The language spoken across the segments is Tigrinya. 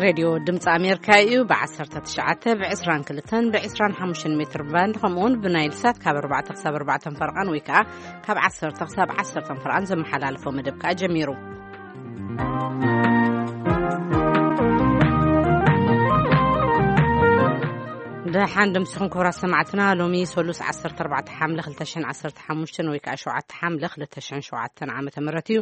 ሬድዮ ድምፂ ኣሜሪካ እዩ። ብ19፣ ብ22፣ ብ25 ሜትር ባንድ፣ ከምኡውን ብናይል ሳት ካብ ኣርባዕተ ክሳብ ኣርባዕተ ፈረቓን ወይ ከዓ ካብ ዓሰርተ ክሳብ ዓሰርተ ፈረቓን ዘመሓላልፎ መደብ ከዓ ጀሚሩ። ደሓን ድምስኹም ክቡራት ሰማዕትና፣ ሎሚ ሰሉስ ዓሰርተ ኣርባዕተ ሓምለ ክልተ ሽሕን ዓሰርተ ሓሙሽተን ወይ ከዓ ሸውዓተ ሓምለ ክልተ ሽሕን ሸውዓተን ዓመተ ምህረት እዩ።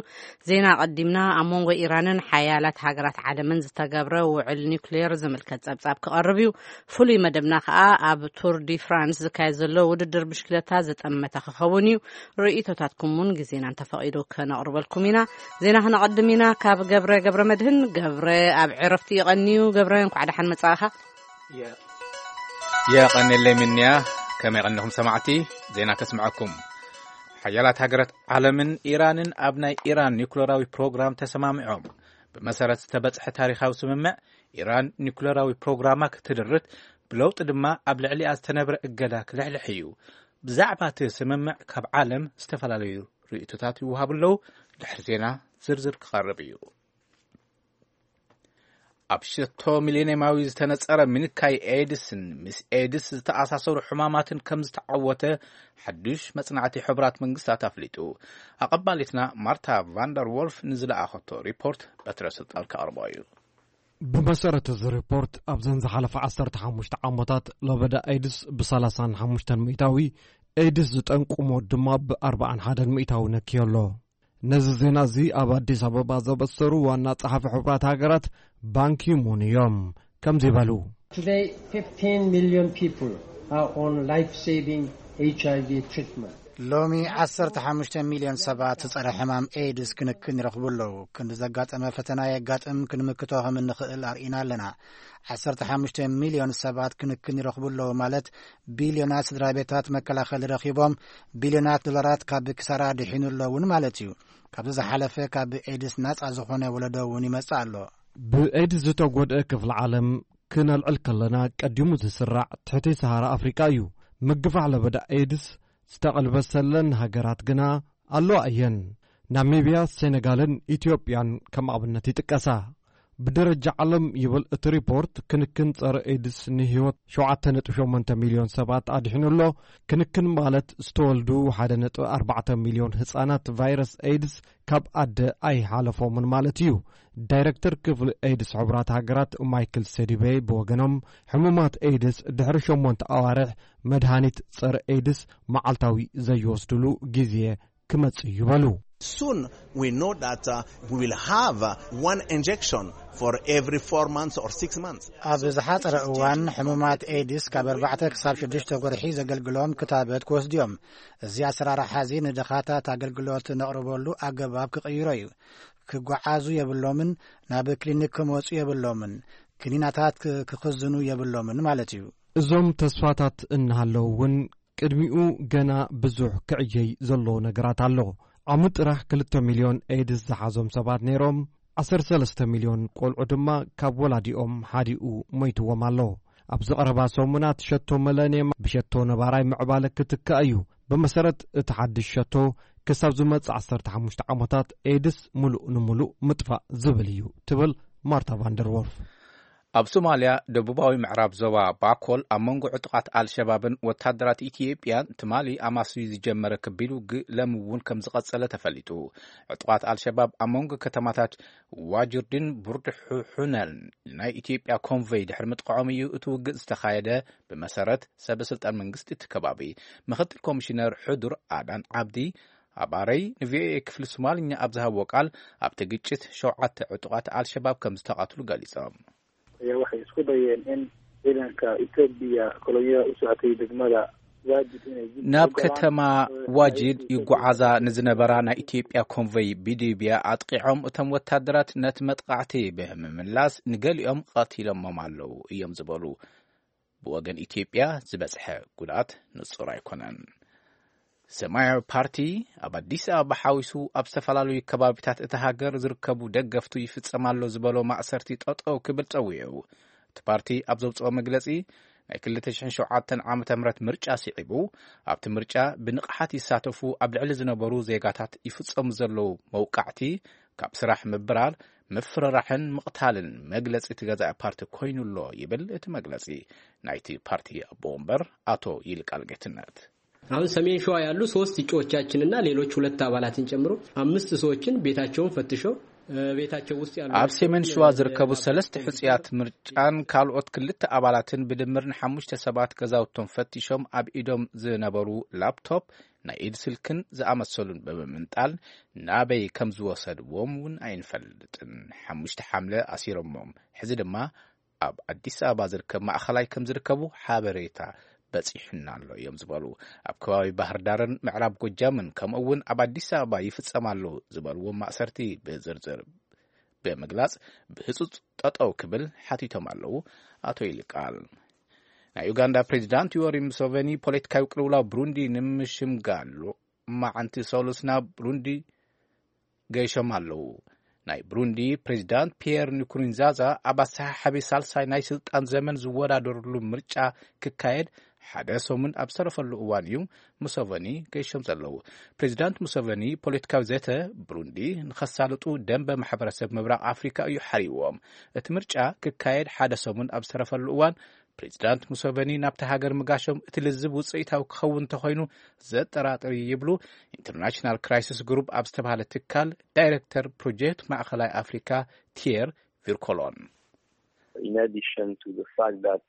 ዜና ቀዲምና። ኣብ መንጎ ኢራንን ሓያላት ሃገራት ዓለምን ዝተገብረ ውዕል ኒውክሌር ዝምልከት ጸብጻብ ክቐርብ እዩ። ፍሉይ መደብና ከኣ ኣብ ቱር ዲ ፍራንስ ዝካየድ ዘሎ ውድድር ብሽክለታ ዝጠመተ ክኸውን እዩ። ርእይቶታትኩም እውን ግዜና እንተፈቒዱ ከነቕርበልኩም ኢና። ዜና ክነቐድም ኢና። ካብ ገብረ ገብረ መድህን። ገብረ ኣብ ዕረፍቲ ይቐንዩ። ገብረ፣ እንኳዕ ደሓን መጻእኻ። የቐንየለይ ምንያ። ከመይ ቀኒኹም ሰማዕቲ? ዜና ከስምዐኩም። ሓያላት ሃገራት ዓለምን ኢራንን ኣብ ናይ ኢራን ኒውክለራዊ ፕሮግራም ተሰማሚዖም። ብመሰረት ዝተበጽሐ ታሪኻዊ ስምምዕ፣ ኢራን ኒውክለራዊ ፕሮግራማ ክትድርት፣ ብለውጢ ድማ ኣብ ልዕሊኣ ዝተነብረ እገዳ ክልሕልሕ እዩ። ብዛዕባ እቲ ስምምዕ ካብ ዓለም ዝተፈላለዩ ርእይቶታት ይወሃቡ ኣለዉ። ድሕሪ ዜና ዝርዝር ክቐርብ እዩ። ኣብ ሸቶ ሚሌኒየማዊ ዝተነጸረ ምንካይ ኤድስን ምስ ኤድስ ዝተኣሳሰሩ ሕማማትን ከም ዝተዓወተ ሓዱሽ መጽናዕቲ ሕቡራት መንግስታት ኣፍሊጡ። ኣቐባሊትና ማርታ ቫንደር ዎልፍ ንዝለኣኸቶ ሪፖርት በትረ ስልጣን ከቕርቦ እዩ። ብመሰረት እዚ ሪፖርት፣ ኣብዘን ዝሓለፈ ዓሰርተ ሓሙሽተ ዓመታት ለበዳ ኤድስ ብ35 ሚእታዊ፣ ኤድስ ዝጠንቁ ሞት ድማ ብ41 ሚእታዊ ነክዮ ኣሎ። ነዚ ዜና እዚ ኣብ ኣዲስ ኣበባ ዘበሰሩ ዋና ጸሓፊ ሕቡራት ሃገራት ባንኪሙን እዮም ከምዚ በሉ። Today, fifteen million people are on life-saving H I V treatment. ሎሚ 15 ሚልዮን ሰባት ጸረ ሕማም ኤድስ ክንክን ይረኽቡ ኣለዉ። ክንዲ ዘጋጠመ ፈተና የጋጥም ክንምክቶ ከም እንኽእል ኣርኢና ኣለና። 15 ሚልዮን ሰባት ክንክን ይረኽቡ ኣለዉ ማለት፣ ቢልዮናት ስድራ ቤታት መከላኸሊ ረኺቦም፣ ቢልዮናት ዶላራት ካብ ክሳራ ድሒኑ ኣለውን ማለት እዩ። ካብዚ ዝሓለፈ ካብ ኤድስ ናጻ ዝኾነ ወለዶ እውን ይመጽእ ኣሎ። ብኤድስ ዝተጎድአ ክፍሊ ዓለም ክነልዕል ከለና፣ ቀዲሙ ዝስራዕ ትሕቲ ሰሃራ ኣፍሪቃ እዩ። ምግፋሕ ለበዳ ኤድስ ዝተቐልበሰለን ሃገራት ግና ኣለዋ እየን። ናሚብያ፣ ሴኔጋልን ኢትዮጵያን ከም ኣብነት ይጥቀሳ። ብደረጃ ዓለም ይብል እቲ ሪፖርት፣ ክንክን ጸረ ኤድስ ንህይወት ሸውዓተ ነጥቢ ሸሞንተ ሚልዮን ሰባት ኣድሒኑ ኣሎ። ክንክን ማለት ዝተወልዱ ሓደ ነጥቢ ኣርባዕተ ሚልዮን ህጻናት ቫይረስ ኤድስ ካብ ኣደ ኣይሓለፎምን ማለት እዩ። ዳይረክተር ክፍሊ ኤድስ ሕቡራት ሃገራት ማይክል ሴዲቤ ብወገኖም፣ ሕሙማት ኤድስ ድሕሪ ሸሞንተ ኣዋርሕ መድሃኒት ጸረ ኤድስ መዓልታዊ ዘይወስድሉ ግዜ ክመጽእ እዩ በሉ። Soon, we know that, uh, we will have, uh, one injection for every four months or six months. ኣብ ዝሓጸረ እዋን፣ ሕሙማት ኤድስ ካብ ኣርባዕተ ክሳብ ሽዱሽተ ወርሒ ዘገልግሎም ክታበት ክወስዱ እዮም። እዚ ኣሰራርሓ እዚ ንድኻታት ኣገልግሎት ነቕርበሉ ኣገባብ ክቕይሮ እዩ። ክጓዓዙ የብሎምን፣ ናብ ክሊኒክ ክመጹ የብሎምን፣ ክኒናታት ክ-፣ ክኽዝኑ የብሎምን ማለት እዩ። እዞም ተስፋታት እናሃለዉ እውን፣ ቅድሚኡ ገና ብዙሕ ክዕየይ ዘለዎ ነገራት ኣሎ። ዓሚ ጥራሕ ክልተ ሚልዮን ኤድስ ዝሓዞም ሰባት ነይሮም፣ ዓሰርተ ሰለስተ ሚልዮን ቆልዑ ድማ ካብ ወላዲኦም ሓዲኡ ሞይትዎም ኣሎ። ኣብዚ ቀረባ ሰሙናት ሸቶ መለንየም ብሸቶ ነባራይ ምዕባለ ክትካእ እዩ። ብመሰረት እቲ ሓድሽ ሸቶ፣ ክሳብ ዝመጽእ ዓሰርተ ሓሙሽተ ዓመታት ኤድስ ምሉእ ንምሉእ ምጥፋእ ዝብል እዩ፣ ትብል ማርታ ቫንደር ዎልፍ። ኣብ ሶማልያ ደቡባዊ ምዕራብ ዞባ ባኮል ኣብ መንጎ ዕጡቓት ኣልሸባብን ወታደራት ኢትዮጵያን ትማሊ ኣማስዩ ዝጀመረ ከቢድ ውግእ ሎሚ እውን ከም ዝቐጸለ ተፈሊጡ። ዕጡቓት ኣልሸባብ ኣብ መንጎ ከተማታት ዋጅርድን ቡርድሑሑነን ናይ ኢትዮጵያ ኮንቮይ ድሕሪ ምጥቃዖም እዩ እቲ ውግእ ዝተኻየደ፣ ብመሰረት ሰበ ስልጣን መንግስቲ እቲ ከባቢ። ምክትል ኮሚሽነር ሕዱር ኣዳን ዓብዲ ኣባረይ ንቪኦኤ ክፍሊ ሶማልኛ ኣብ ዝሃብዎ ቃል፣ ኣብቲ ግጭት ሸውዓተ ዕጡቓት ኣልሸባብ ከም ዝተቐትሉ ገሊጾም። Ayaa waxay isku dayeen in ciidanka Itoobiya kolonyo u socotay degmada Waajid inay dib ናብ u galaan, ከተማ eh, waajid ay u ይጓዓዛ ንዝነበራ ናይ ኢትዮጵያ ኮንቮይ ብድብያ ኣጥቂዖም፣ እቶም ወታደራት ነቲ መጥቃዕቲ ብምምላስ ንገሊኦም ቀቲሎሞም ኣለዉ እዮም ዝበሉ። ብወገን ኢትዮጵያ ዝበጽሐ ጉድኣት ንጹር ኣይኮነን። ሰማያዊ ፓርቲ ኣብ ኣዲስ ኣበባ ሓዊሱ ኣብ ዝተፈላለዩ ከባቢታት እታ ሃገር ዝርከቡ ደገፍቱ ይፍጸም ኣሎ ዝበሎ ማእሰርቲ ጠጠው ክብል ጸዊዑ። እቲ ፓርቲ ኣብ ዘውጽኦ መግለጺ፣ ናይ ክልተ ሽሕን ሸውዓተን ዓመተ ምህረት ምርጫ ስዒቡ፣ ኣብቲ ምርጫ ብንቕሓት ይሳተፉ ኣብ ልዕሊ ዝነበሩ ዜጋታት ይፍጸሙ ዘለዉ መውቃዕቲ ካብ ስራሕ ምብራር፣ ምፍርራሕን ምቕታልን መግለጺ እቲ ገዛኢ ፓርቲ ኮይኑ ኣሎ ይብል እቲ መግለጺ ናይቲ ፓርቲ ኣቦ ወንበር ኣቶ ይልቃል ጌትነት። አሁን ሰሜን ሸዋ ያሉ ሶስት እጩዎቻችንና ሌሎች ሁለት አባላትን ጨምሮ አምስት ሰዎችን ቤታቸውን ፈትሸው፣ ቤታቸው ውስጥ ያሉ፣ ኣብ ሰሜን ሸዋ ዝርከቡ ሰለስተ ሕጽያት ምርጫን ካልኦት ክልተ ኣባላትን ብድምር ንሓሙሽተ ሰባት ገዛውቶም ፈቲሾም ኣብ ኢዶም ዝነበሩ ላፕቶፕ፣ ናይ ኢድ ስልክን ዝኣመሰሉን ብምምንጣል ናበይ ከም ዝወሰድዎም እውን ኣይንፈልጥን። ሓሙሽተ ሓምለ ኣሲሮሞም፣ ሕዚ ድማ ኣብ ኣዲስ ኣበባ ዝርከብ ማእኸላይ ከም ዝርከቡ ሓበሬታ በፂሑና ኣሎ እዮም ዝበሉ። ኣብ ከባቢ ባህር ዳርን ምዕራብ ጎጃምን ከምኡ እውን ኣብ ኣዲስ ኣበባ ይፍጸም ኣሎ ዝበልዎም ማእሰርቲ ብዝርዝር ብምግላጽ ብህጹጽ ጠጠው ክብል ሓቲቶም ኣለዉ ኣቶ ይልቃል። ናይ ዩጋንዳ ፕሬዚዳንት ዮወሪ ሙሰቨኒ ፖለቲካዊ ቅልውላው ብሩንዲ ንምሽምጋል ሎማዓንቲ ሰሉስ ናብ ብሩንዲ ገይሾም ኣለዉ። ናይ ብሩንዲ ፕሬዚዳንት ፒየር ንኩሩንዛዛ ኣብ ኣሰሓሓቢ ሳልሳይ ናይ ስልጣን ዘመን ዝወዳደርሉ ምርጫ ክካየድ ሓደ ሰሙን ኣብ ዝተረፈሉ እዋን እዩ ሙሰቨኒ ገይሾም ዘለዉ። ፕሬዚዳንት ሙሰቨኒ ፖለቲካዊ ዘተ ብሩንዲ ንኸሳልጡ ደንበ ማሕበረሰብ ምብራቕ ኣፍሪካ እዩ ሓሪዎም። እቲ ምርጫ ክካየድ ሓደ ሰሙን ኣብ ዝተረፈሉ እዋን ፕሬዚዳንት ሙሰቨኒ ናብቲ ሃገር ምጋሾም እቲ ልዝብ ውፅኢታዊ ክኸውን እንተኾይኑ ዘጠራጥር እዩ ይብሉ ኢንተርናሽናል ክራይሲስ ግሩፕ ኣብ ዝተባሃለ ትካል ዳይሬክተር ፕሮጀክት ማእኸላይ ኣፍሪካ ቲየር ቪርኮሎን። In addition to the fact that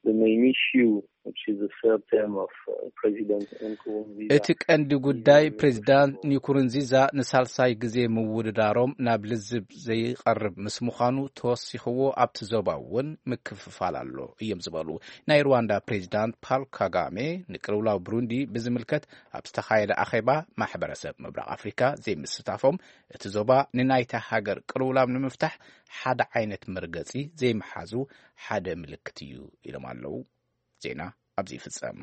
the main issue, which is the third term of uh, President Nkurunziza, እቲ ቀንዲ ጉዳይ ፕሬዚዳንት ኒኩሩንዚዛ ንሳልሳይ ግዜ ምውድዳሮም ናብ ልዝብ ዘይቐርብ ምስ ምዃኑ ተወሲኽዎ ኣብቲ ዞባ እውን ምክፍፋል ኣሎ እዮም ዝበሉ። ናይ ሩዋንዳ ፕሬዚዳንት ፓል ካጋሜ ንቅልውላው ብሩንዲ ብዝምልከት ኣብ ዝተኻየደ ኣኼባ ማሕበረሰብ ምብራቕ ኣፍሪካ ዘይምስታፎም እቲ ዞባ ንናይታ ሃገር ቅልውላም ንምፍታሕ ሓደ ዓይነት መርገጺ ዘይምሓዙ ሓደ ምልክት እዩ ኢሎም ኣለዉ። ዜና ኣብዚ ይፍጸም።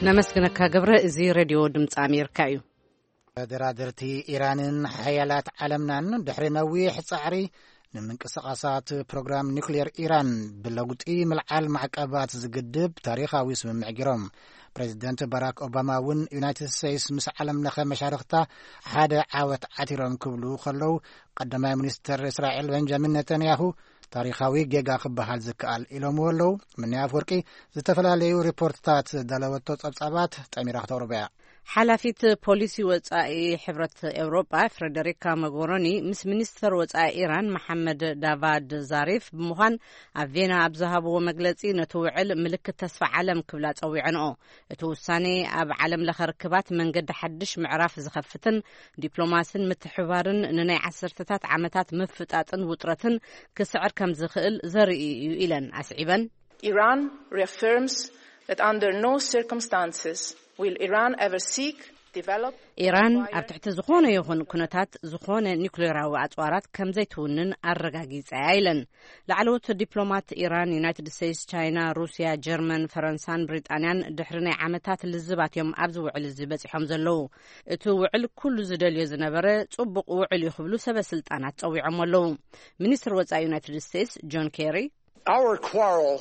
ነመስግነካ ገብረ። እዚ ሬድዮ ድምፂ ኣሜሪካ እዩ። ተደራደርቲ ኢራንን ሓያላት ዓለምናን ድሕሪ ነዊሕ ጻዕሪ ንምንቅስቓሳት ፕሮግራም ኒውክሌር ኢራን ብለውጢ ምልዓል ማዕቀባት ዝግድብ ታሪኻዊ ስምምዕ ገይሮም። ፕሬዚደንት ባራክ ኦባማ እውን ዩናይትድ ስቴትስ ምስ ዓለም ለኸ መሻርኽታ ሓደ ዓወት ዓቲሮም ክብሉ ከለዉ፣ ቀዳማይ ሚኒስትር እስራኤል ቤንጃሚን ነተንያሁ ታሪኻዊ ጌጋ ክበሃል ዝከኣል ኢሎምዎ ኣለዉ። ምንያ ኣፍወርቂ ዝተፈላለዩ ሪፖርትታት ዳለወቶ ጸብጻባት ጠሚራ ክተቕርቦ እያ። ሓላፊት ፖሊሲ ወጻኢ ሕብረት ኤውሮጳ ፍረደሪካ መጎሮኒ ምስ ሚኒስተር ወጻኢ ኢራን መሓመድ ዳቫድ ዛሪፍ ብምዃን ኣብ ቬና ኣብ ዝሃብዎ መግለጺ ነቲ ውዕል ምልክት ተስፋ ዓለም ክብላ ጸዊዐንኦ። እቲ ውሳኔ ኣብ ዓለም ለኸ ርክባት መንገዲ ሓድሽ ምዕራፍ ዝኸፍትን ዲፕሎማስን ምትሕባርን ንናይ ዓሰርተታት ዓመታት ምፍጣጥን ውጥረትን ክስዕር ከም ዝኽእል ዘርኢ እዩ ኢለን ኣስዒበን። Iran reaffirms that under no circumstances will Iran ever seek, develop, ኢራን ኣብ ትሕቲ ዝኾነ ይኹን ኩነታት ዝኾነ ኒውክሌራዊ ኣጽዋራት ከም ዘይትውንን ኣረጋጊጸ እያ ኢለን። ላዕለዎት ዲፕሎማት ኢራን፣ ዩናይትድ ስቴትስ፣ ቻይና፣ ሩስያ፣ ጀርመን፣ ፈረንሳን ብሪጣንያን ድሕሪ ናይ ዓመታት ልዝባት እዮም ኣብዚ ውዕል እዚ በጺሖም ዘለዉ። እቲ ውዕል ኩሉ ዝደልዮ ዝነበረ ጽቡቕ ውዕል እዩ ክብሉ ሰበ ስልጣናት ጸዊዖም ኣለዉ። ሚኒስትር ወጻኢ ዩናይትድ ስቴትስ ጆን ኬሪ፣ Our quarrel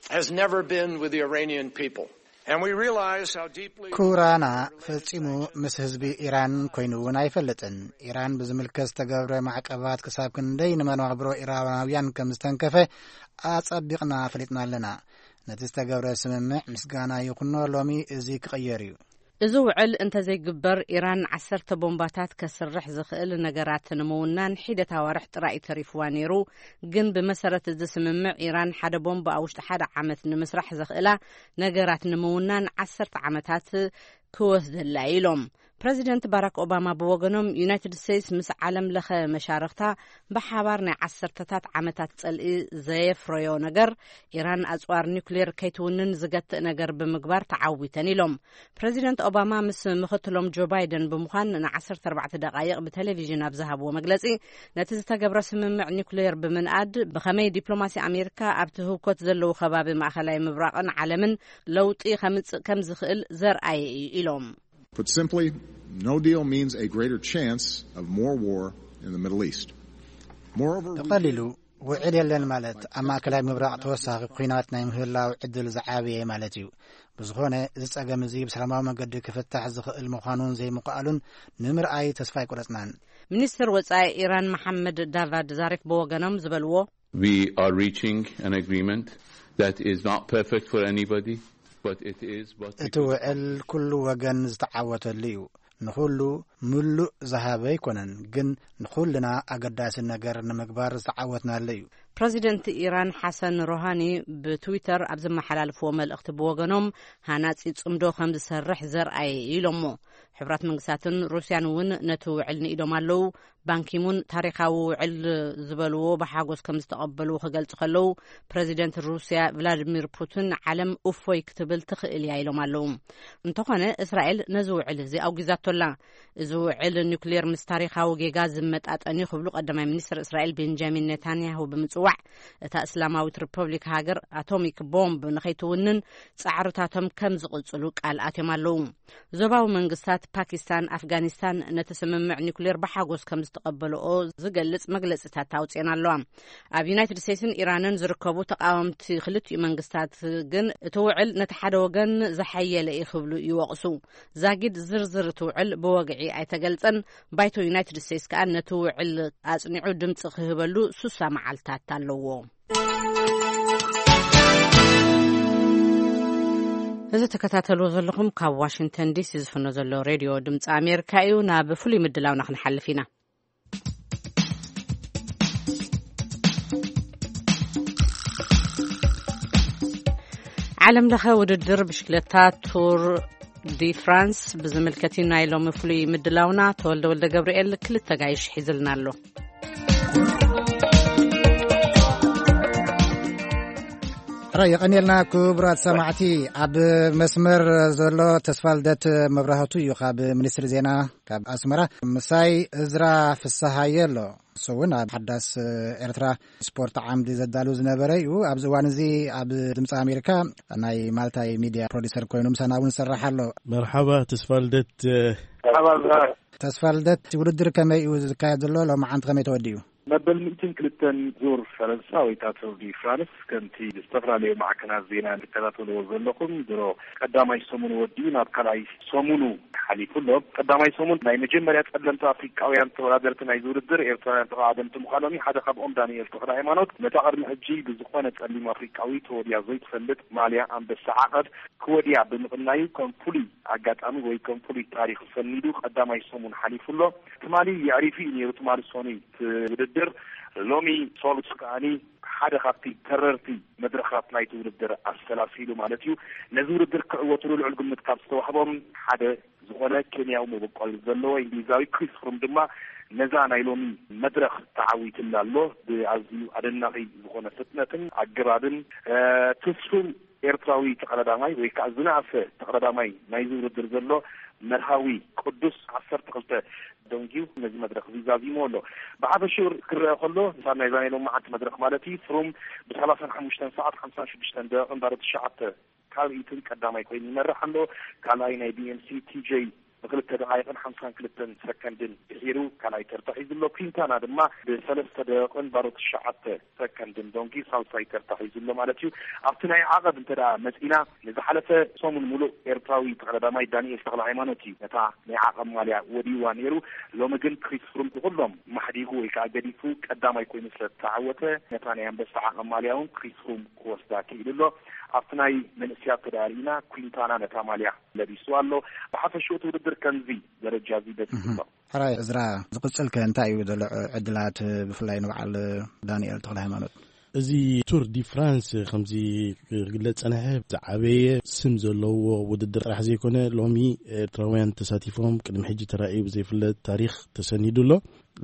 has never been with the Iranian people. And we realize how deeply ኩራና ፈጺሙ ምስ ህዝቢ ኢራን ኮይኑ እውን ኣይፈልጥን። ኢራን ብዝምልከት ዝተገብረ ማዕቀባት ክሳብ ክንደይ ንመናብሮ ኢራናውያን ከም ዝተንከፈ ኣጸቢቕና ፈሊጥና ኣለና። ነቲ ዝተገብረ ስምምዕ ምስጋና ይኹኖ፣ ሎሚ እዚ ክቕየር እዩ። እዚ ውዕል እንተዘይግበር፣ ኢራን ዓሰርተ ቦምባታት ከስርሕ ዝኽእል ነገራት ንምውናን ሒደት ኣዋርሕ ጥራይ እዩ ተሪፍዋ ነይሩ። ግን ብመሰረት እዚ ስምምዕ፣ ኢራን ሓደ ቦምብ ኣብ ውሽጢ ሓደ ዓመት ንምስራሕ ዘኽእላ ነገራት ንምውናን ዓሰርተ ዓመታት ክወስደላ እዩ ኢሎም። ፕረዚደንት ባራክ ኦባማ ብወገኖም፣ ዩናይትድ ስቴትስ ምስ ዓለም ለኸ መሻርኽታ ብሓባር ናይ ዓሰርተታት ዓመታት ጸልኢ ዘየፍረዮ ነገር፣ ኢራን ኣጽዋር ኒውክሌር ከይትውንን ዝገትእ ነገር ብምግባር ተዓዊተን ኢሎም። ፕረዚደንት ኦባማ ምስ ምኽትሎም ጆ ባይደን ብምዃን ንዓሰርተ ኣርባዕተ ደቓይቕ ብቴሌቪዥን ኣብ ዝሃብዎ መግለጺ፣ ነቲ ዝተገብረ ስምምዕ ኒውክሌር ብምንኣድ ብኸመይ ዲፕሎማሲ ኣሜሪካ ኣብቲ ህውከት ዘለዉ ከባቢ ማእኸላይ ምብራቕን ዓለምን ለውጢ ከምጽእ ከም ዝኽእል ዘርኣየ እዩ ኢሎም። Put simply, no deal means a greater chance of more war in the Middle East. Moreover, we ብቐሊሉ፣ ውዕል የለን ማለት ኣብ ማእከላይ ምብራቕ ተወሳኺ ኲናት ናይ ምህላው ዕድል ዝዓበየ ማለት እዩ። ብዝኾነ፣ እዚ ጸገም እዚ ብሰላማዊ መገዲ ክፍታሕ ዝኽእል ምዃኑን ዘይምኽኣሉን ንምርኣይ ተስፋ ኣይቆረጽናን። ሚኒስትር ወጻኢ ኢራን መሓመድ ዳቫድ ዛሪፍ ብወገኖም ዝበልዎ፣ We are reaching an agreement that is not perfect for anybody, but it is what we እቲ could ውዕል ኩሉ ወገን ዝተዓወተሉ እዩ። ንኹሉ ምሉእ ዝሃበ ኣይኮነን፣ ግን ንኹልና ኣገዳሲ ነገር ንምግባር ዝተዓወትናሉ እዩ። ፕረዚደንት ኢራን ሓሰን ሮሃኒ ብትዊተር ኣብ ዘመሓላልፍዎ መልእኽቲ ብወገኖም ሃናጺ ጽምዶ ከም ዝሰርሕ ዘርኣየ ኢሎሞ። ሕቡራት መንግስታትን ሩስያን እውን ነቲ ውዕል ንኢዶም ኣለዉ። ባንኪሙን ታሪኻዊ ውዕል ዝበልዎ ብሓጎስ ከም ዝተቐበልዎ ክገልጹ ከለዉ፣ ፕረዚደንት ሩስያ ቭላድሚር ፑቲን ዓለም እፎይ ክትብል ትኽእል እያ ኢሎም ኣለዉ። እንተኾነ እስራኤል ነዚ ውዕል እዚ ኣውጊዛቶ ኣላ። እዚ ውዕል ኒውክሌር ምስ ታሪኻዊ ጌጋ ዝመጣጠን እዩ ክብሉ ቀዳማይ ሚኒስትር እስራኤል ቤንጃሚን ኔታንያሁ ብምጽዋዕ፣ እታ እስላማዊት ሪፐብሊክ ሃገር ኣቶሚክ ቦምብ ንኸይትውንን ጻዕርታቶም ከም ዝቕጽሉ ቃል ኣትዮም ኣለዉ። ዞባዊ መንግስታት ፓኪስታን ኣፍጋኒስታን ነቲ ስምምዕ ኒውክሌር ብሓጎስ ከም ዝተቐበልኦ ዝገልጽ መግለጽታት ኣውጽኤን ኣለዋ። ኣብ ዩናይትድ ስቴትስን ኢራንን ዝርከቡ ተቃወምቲ ክልቲኡ መንግስታት ግን እቲ ውዕል ነቲ ሓደ ወገን ዝሓየለ እዩ ክብሉ ይወቕሱ። ዛጊድ ዝርዝር እቲ ውዕል ብወግዒ ኣይተገልጸን። ባይቶ ዩናይትድ ስቴትስ ከኣ ነቲ ውዕል ኣጽኒዑ ድምጺ ክህበሉ ሱሳ መዓልታት ኣለዎ። እዚ ተከታተልዎ ዘለኹም ካብ ዋሽንግተን ዲሲ ዝፍኖ ዘሎ ሬድዮ ድምፂ ኣሜሪካ እዩ። ናብ ፍሉይ ምድላውና ክንሓልፍ ኢና። ዓለም ለኸ ውድድር ብሽክለታ ቱር ዲ ፍራንስ ብዝምልከት እዩ ናይ ሎሚ ፍሉይ ምድላውና። ተወልደ ወልደ ገብርኤል ክልተ ጋይሽ ሒዝልና ኣሎ። ሕራይ የቐንየልና ክቡራት ሰማዕቲ። ኣብ መስመር ዘሎ ተስፋ ልደት መብራህቱ እዩ ካብ ሚኒስትሪ ዜና ካብ ኣስመራ። ምሳይ እዝራ ፍስሃየ ኣሎ። እሱ እውን ኣብ ሓዳስ ኤርትራ ስፖርት ዓምዲ ዘዳሉ ዝነበረ እዩ። ኣብዚ እዋን እዚ ኣብ ድምፂ ኣሜሪካ ናይ ማልታይ ሚድያ ፕሮዲሰር ኮይኑ ምሳና እውን ይሰርሕ ኣሎ። መርሓባ ተስፋ ልደት። መርሓባ እዝራ። ተስፋ ልደት፣ ውድድር ከመይ እዩ ዝካየድ ዘሎ? ሎማዓንቲ ከመይ ተወዲኡ? መበል ሚእትን ክልተን ዙር ፈረንሳ ወይ ከዓ ቱር ዲ ፍራንስ ከምቲ ዝተፈላለዩ ማዕከናት ዜና ትከታተልዎ ዘለኹም ድሮ ቀዳማይ ሰሙን ወዲኡ ናብ ካልኣይ ሰሙኑ ሓሊፉ ኣሎ። ቀዳማይ ሰሙን ናይ መጀመርያ ጸለምቲ ኣፍሪቃውያን ተወዳደርቲ ናይዚ ውድድር ኤርትራውያን ተቐዳደምቲ ምዃኖም እዩ። ሓደ ካብኦም ዳንኤል ተኽለ ሃይማኖት ነታ ቅድሚ ሕጂ ብዝኾነ ጸሊም ኣፍሪቃዊ ተወድያ ዘይትፈልጥ ማልያ ኣንበሳ ዓቐብ ክወድያ ብምቕናዩ ከም ፍሉይ ኣጋጣሚ ወይ ከም ፍሉይ ታሪኽ ሰኒዱ ቀዳማይ ሰሙን ሓሊፉ ኣሎ። ትማሊ የዕሪፉ እዩ ነይሩ። ትማሊ ሰኑይ እቲ ውድድር ሎሚ ሰሉስ ከኣኒ ሓደ ካብቲ ተረርቲ መድረኻት ናይቲ ውድድር ኣሰላሲሉ ማለት እዩ። ነዚ ውድድር ክዕወትሉ ልዑል ግምት ካብ ዝተዋህቦም ሓደ ዝኾነ ኬንያዊ መበቆል ዘለዎ እንግሊዛዊ ክሪስ ፍሩም ድማ ነዛ ናይ ሎሚ መድረኽ ተዓዊትላ ኣሎ። ብኣዝዩ ኣደናቒ ዝኾነ ፍጥነትን ኣገባብን፣ እ፣ ትስፉው ኤርትራዊ ተቐዳዳማይ ወይ ከዓ ዝነኣሰ ተቐዳዳማይ ናይዚ ውድድር ዘሎ መርሃዊ ቅዱስ ዓሰርተ ክልተ ደንጊዩ ነዚ መድረኽ እዚ ዛዚሙ ኣሎ። ብሓፈሽኡ ክረአ ከሎ፣ ንሳ ናይዛ ናይ ሎማዓንቲ መድረኽ ማለት እዩ፣ ፍሩም ብሰላሳን ሓሙሽተን ሰዓት ሓምሳን ሽዱሽተን ደቂቕን ባዶ ትሽዓተ ካብ ኢትን ቀዳማይ ኮይኑ ይመርሕ ኣሎ። ካልኣይ ናይ ቢ ኤም ሲ ቲ ጀይ ብክልተ ደቓይቕን ሓምሳን ክልተን ሰከንድን ድሒሩ ካልኣይ ተርታ ሒዙ ኣሎ። ኩንታና ድማ ብሰለስተ ደቂቕን ባዶ ትሽዓተ ሰከንድን ዶንጊ ሳልሳይ ተርታ ሒዙ ኣሎ ማለት እዩ። ኣብቲ ናይ ዓቐብ እንተ ደኣ መጺና፣ ንዝሓለፈ ሰሙን ሙሉእ ኤርትራዊ ተቐዳዳማይ ዳንኤል ተኽለ ሃይማኖት እዩ ነታ ናይ ዓቐብ ማልያ ወዲዋ ነይሩ። ሎሚ ግን ክሪስ ፍሩም ብኩሎም ማሕዲጉ ወይ ከዓ ገዲፉ ቀዳማይ ኮይኑ ስለ ዝተዓወተ፣ ነታ ናይ ኣንበሳ ዓቐብ ማልያ እውን ክሪስ ፍሩም ክወስዳ ክኢሉ ኣሎ። ኣብቲ ናይ መንእስያት ተደኣ ርኢና፣ ኩንታና ነታ ማልያ ለቢሱ ኣሎ። ብሓፈሽኡ እቲ ውድድር ከምዚ ደረጃ እዚ በጺሑ ኣሎ። ሕራይ እዝራ፣ ዝቕጽል ከ እንታይ እዩ ዘሎ ዕድላት፣ ብፍላይ ንበዓል ዳንኤል ተኽለ ሃይማኖት? እዚ ቱር ዲ ፍራንስ ከምዚ ክግለጽ ጸንሐ፣ ዝዓበየ ስም ዘለዎ ውድድር ጥራሕ ዘይኮነ፣ ሎሚ ኤርትራውያን ተሳቲፎም ቅድሚ ሕጂ ተራእዩ ብዘይፍለጥ ታሪኽ ተሰኒዱ ኣሎ።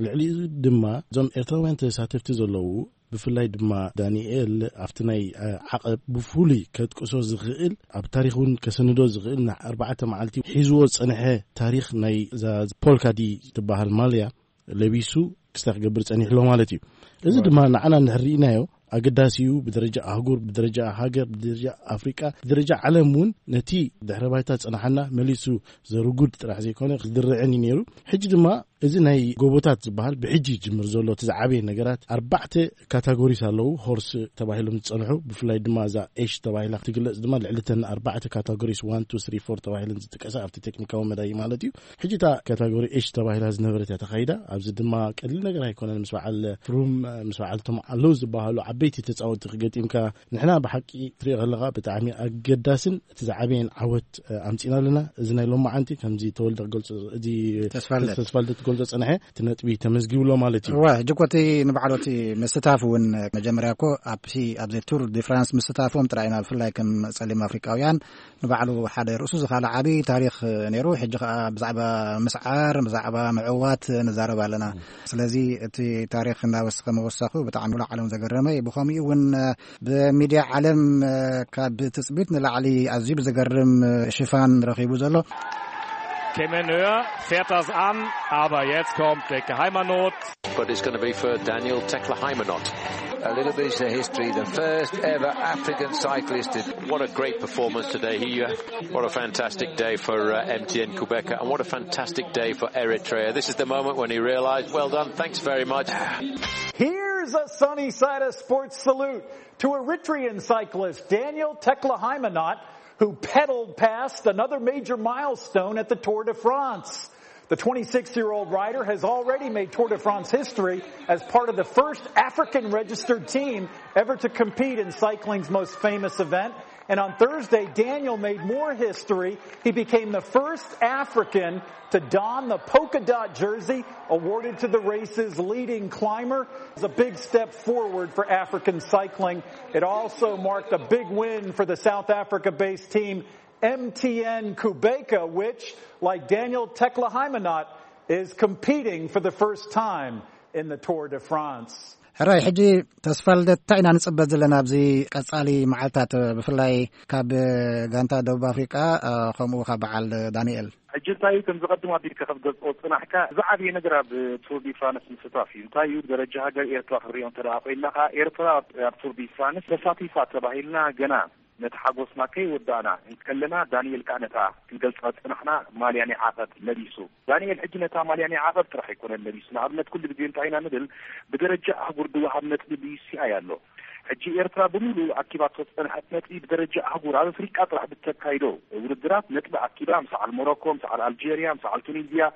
ልዕሊኡ ድማ እዞም ኤርትራውያን ተሳተፍቲ ዘለዉ፣ ብፍላይ ድማ ዳንኤል ኣብቲ ናይ፣ እ፣ ዓቐብ ብፍሉይ ከጥቅሶ ዝኽእል፣ ኣብ ታሪኽ እውን ከሰንዶ ዝኽእል፣ ን ኣርባዕተ መዓልቲ ሒዝዎ ዝጸንሐ ታሪኽ ናይ እዛ ፖልካ ዲ ትበሃል ማልያ ለቢሱ ክስታ ክገብር ጸኒሑ ኣሎ ማለት እዩ። እዚ ድማ ንዓና እንድሕር ርኢናዮ ኣገዳሲ እዩ። ብደረጃ ኣህጉር፣ ብደረጃ ሃገር፣ ብደረጃ ኣፍሪቃ፣ ብደረጃ ዓለም እውን ነቲ ድሕረ ባይታ ዝጸናሓና መሊሱ ዘርጉድ ጥራሕ ዘይኮነ ክድርዕን እዩ ነይሩ። ሕጂ ድማ እዚ ናይ ጎቦታት ዝበሃል ብሕጂ ይጅምር ዘሎ እቲ ዝዓበየ ነገራት ኣርባዕተ ካታጎሪስ ኣለዉ። ሆርስ ተባሂሎም ዝጸንሑ፣ ብፍላይ ድማ እዛ ኤሽ ተባሂላ ትግለጽ ድማ ልዕሊ እተን ኣርባዕተ ካታጎሪስ ዋን ቱ ስሪ ፎር ተባሂለን ዝጥቀሳ ኣብቲ ቴክኒካዊ መዳይ ማለት እዩ። ሕጂ እታ ካታጎሪ ኤሽ ተባሂላ ዝነበረት እያ ተኻይዳ። ኣብዚ ድማ ቀሊል ነገር ኣይኮነን። ምስ በዓል ፍሩም፣ ምስ በዓል እቶም ኣለዉ ዝበሃሉ ዓበይቲ ተጻወትቲ ክገጢምካ፣ ንሕና ብሓቂ ትሪኦ ከለኻ ብጣዕሚ ኣገዳስን እቲ ዝዓበየን ዓወት ኣምጺና ኣለና። እዚ ናይ ሎማዓንቲ ከምዚ ተወልደ ክገልጾ፣ እዚ ተስፋልደት። ተስፋልደት ክገልጾ ጸንሐ፣ እቲ ነጥቢ ተመዝጊቡ ኣሎ ማለት እዩ። እወ፣ ሕጂ እኮ እቲ ንባዕሉ እቲ ምስታፍ እውን መጀመርያ እኮ ኣብቲ፣ ኣብዚ ቱር ዲ ፍራንስ ምስታፎም ጥራይ ኢና ብፍላይ ከም ጸሊም ኣፍሪቃውያን ንባዕሉ ሓደ ርእሱ ዝኻለ ዓቢ ታሪኽ ነይሩ። ሕጂ ከኣ ብዛዕባ ምስዓር፣ ብዛዕባ ምዕዋት ንዛረብ ኣለና። ስለዚ እቲ ታሪኽ እናወሰኸ ምውሳኹ ብጣዕሚ ንዓለም ዘገረመ እዩ። ብኸምኡ እውን ብሚድያ ዓለም ካብ ትጽቢት ንላዕሊ ኣዝዩ ብዘገርም ሽፋን ረኺቡ ዘሎ። Kemenø fährt das an, aber jetzt kommt Deke Heimanot. But it's going to be for Daniel Tekla Heimanot. A little bit of history, the first ever African cyclist. What a great performance today. He, uh, what a fantastic day for uh, M T N Kubeka, and what a fantastic day for Eritrea. This is the moment when he realised, well done, thanks very much. Here's a sunny side of sports salute to Eritrean cyclist Daniel Tekla Heimanot, who pedaled past another major milestone at the Tour de France. The twenty-six year old rider has already made Tour de France history as part of the first African registered team ever to compete in cycling's most famous event. And on Thursday, Daniel made more history. He became the first African to don the polka dot jersey awarded to the race's leading climber. It's a big step forward for African cycling. It also marked a big win for the South Africa based team M T N Kubeka, which, like Daniel Tekla Heimanot, is competing for the first time in the Tour de France. ሕራይ፣ ሕጂ ተስፋ ልደት እንታይ ኢና ንጽበ ዘለና ኣብዚ ቀጻሊ መዓልታት፣ ብፍላይ ካብ ጋንታ ደቡብ ኣፍሪቃ፣ ከምኡ ካብ በዓል ዳንኤል? ሕጂ እንታይ እዩ፣ ከም ዝቐድም ኣቢልካ ክትገልጾ ጽናሕካ፣ ዝዓበየ ነገር ኣብ ቱር ዲ ፍራንስ ምስታፍ እዩ። እንታይ እዩ፣ ብደረጃ ሃገር ኤርትራ ክንሪኦ እንተ ደኣ ኮይንና ከኣ፣ ኤርትራ ኣብ ቱር ዲ ፍራንስ ተሳቲፋ ተባሂልና ገና ነቲ ሓጎስና ከይወዳእና እንከለና፣ ዳንኤል ከኣ ነታ ክንገልጻ ዝጸናሕና ማልያ ናይ ዓቐብ ለቢሱ። ዳንኤል ሕጂ ነታ ማልያ ናይ ዓቐብ ጥራሕ ኣይኮነን ለቢሱ። ንኣብነት፣ ኩሉ ግዜ እንታይ ኢና ንብል፣ ብደረጃ ኣህጉር ዝወሃብ ነጥቢ ብዩሲኣይ ኣሎ። ሕጂ ኤርትራ ብምሉኡ ኣኪባቶ ዝጸንሐት ነጥቢ ብደረጃ ኣህጉር ኣብ ኣፍሪቃ ጥራሕ ብተካይዶ ውድድራት ነጥቢ ኣኪባ ምስ በዓል ሞሮኮ፣ ምስ በዓል ኣልጀርያ፣ ምስ በዓል ቱኒዝያ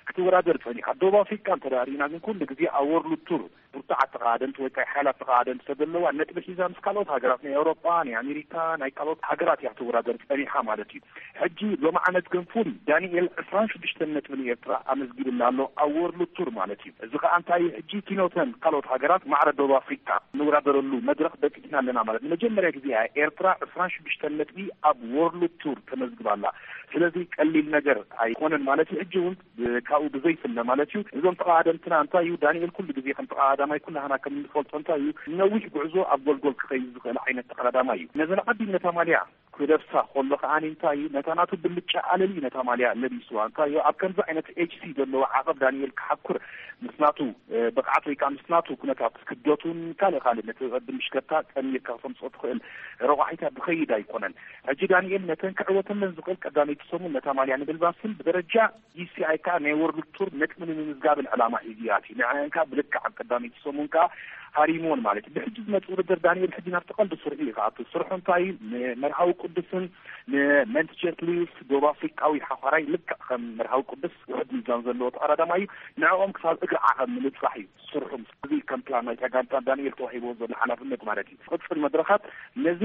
ክትወዳደር ጸኒሓ። ደቡብ ኣፍሪቃ እንተ ደኣ ርኢና ግን ኩሉ ግዜ ኣብ ወርልድ ቱር ብርቱዓት ተቓደምቲ ወይ ከዓ ሓያላት ተቓደምቲ ተዘለዋ ነጥቢ ሒዛ ምስ ካልኦት ሃገራት ናይ ኣውሮጳ፣ ናይ ኣሜሪካ፣ ናይ ካልኦት ሃገራት እያ ክትወዳደር ጸኒሓ ማለት እዩ። ሕጂ ሎማዓነት ግን ፍሉይ ዳንኤል ዕስራን ሽዱሽተን ነጥቢ ንኤርትራ ኣመዝጊብላ ኣሎ ኣብ ወርልድ ቱር ማለት እዩ። እዚ ከዓ እንታይ እዩ? ሕጂ ኪኖተን ካልኦት ሃገራት ማዕረ ደቡብ ኣፍሪካ ንወዳደረሉ መድረኽ በፂሕና ኣለና ማለት። ንመጀመርያ ግዜ እያ ኤርትራ ዕስራን ሽዱሽተን ነጥቢ ኣብ ወርልድ ቱር ተመዝግባ ኣላ። ስለዚ ቀሊል ነገር ኣይኮነን ማለት እዩ። ሕጂ እውን ካብኡ ብዘይፍለ ማለት እዩ። እዞም ተቓደምትና እንታይ እዩ፣ ዳንኤል ኩሉ ግዜ ከም ተቓዳማይ ኩላህና ከም እንፈልጦ እንታይ እዩ፣ ነዊሕ ጉዕዞ ኣብ ጎልጎል ክኸይድ ዝኽእል ዓይነት ተቓዳማይ እዩ። ነዘን ዓቢ ነታ ማልያ ክለብሳ ከሎ ከኣ እንታይ እዩ፣ ነታ ናቱ ብልጫ ኣለሊ ነታ ማልያ ለቢስዋ። እንታይ እዩ፣ ኣብ ከምዚ ዓይነት ኤች ሲ ዘለዎ ዓቐብ ዳንኤል ክሓኩር ምስ ናቱ ብቕዓት ወይ ከዓ ምስ ናቱ ኩነታት ክብደቱን ካልእ ካልእ ነቲ ቅድም ምሽከታ ጠሚርካ ክተምፅኦ ትኽእል ረቋሒታት ዝኸይድ ኣይኮነን። ሕጂ ዳንኤል ነተን ክዕወተለን ዝኽእል ቀዳመይቲ ሰሙን ነታ ማልያ ንምልባስን ብደረጃ ዩ ሲ ኣይ ከዓ ናይ ወርልድ ቱር ነጥቢ ንምምዝጋብን ዕላማ ሒዙ ይኣትዩ። ንዕን ከዓ ብልክዕ ኣብ ቀዳመይቲ ሰሙን ከዓ ሃሪምዎን ማለት እዩ። ብሕጂ ዝመፅእ ውድድር ዳንኤል ሕጂ ናብቲ ቀንዲ ስርሑ እዩ ክኣቱ። ስርሑ እንታይ እዩ? ንመርሃዊ ቅዱስን ንመንትጀት ሊውስ ደቡብ ኣፍሪቃዊ ሓዃራይ ልክዕ ከም መርሃዊ ቅዱስ ውሕድ ሚዛን ዘለዎ ተቐዳዳማይ እዩ። ንዕኦም ክሳብ እግሪ ዓቐብ ምብፃሕ እዩ ስርሑ። እዚ ከም ፕላን ናይታ ጋንታ ዳንኤል ተዋሂብዎ ዘሎ ሓላፍነት ማለት እዩ። ዝቕፅል መድረኻት ነዚ